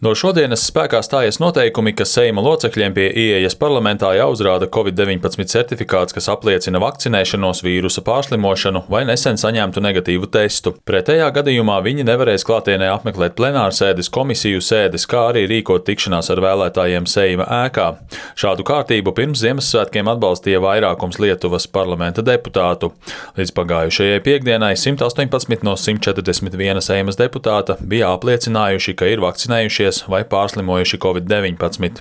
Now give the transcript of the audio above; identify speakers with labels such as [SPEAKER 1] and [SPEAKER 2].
[SPEAKER 1] No šodienas spēkā stājas noteikumi, ka Seima locekļiem pie ieejas parlamentā jāuzrāda Covid-19 certifikāts, kas apliecina vakcinēšanos, vīrusa pārslimošanu vai nesen saņemtu negatīvu testu. Pretējā gadījumā viņi nevarēs klātienē apmeklēt plenārsēdes, komisiju sēdes, kā arī rīkot tikšanās ar vēlētājiem Seima ēkā. Šādu kārtību pirms Ziemassvētkiem atbalstīja vairākums Lietuvas parlamenta deputātu. Līdz pagājušajai piektdienai 118 no 141 Seimas deputāta bija apliecinājuši, ka ir vakcinējušies vai pārslimojuši Covid-19.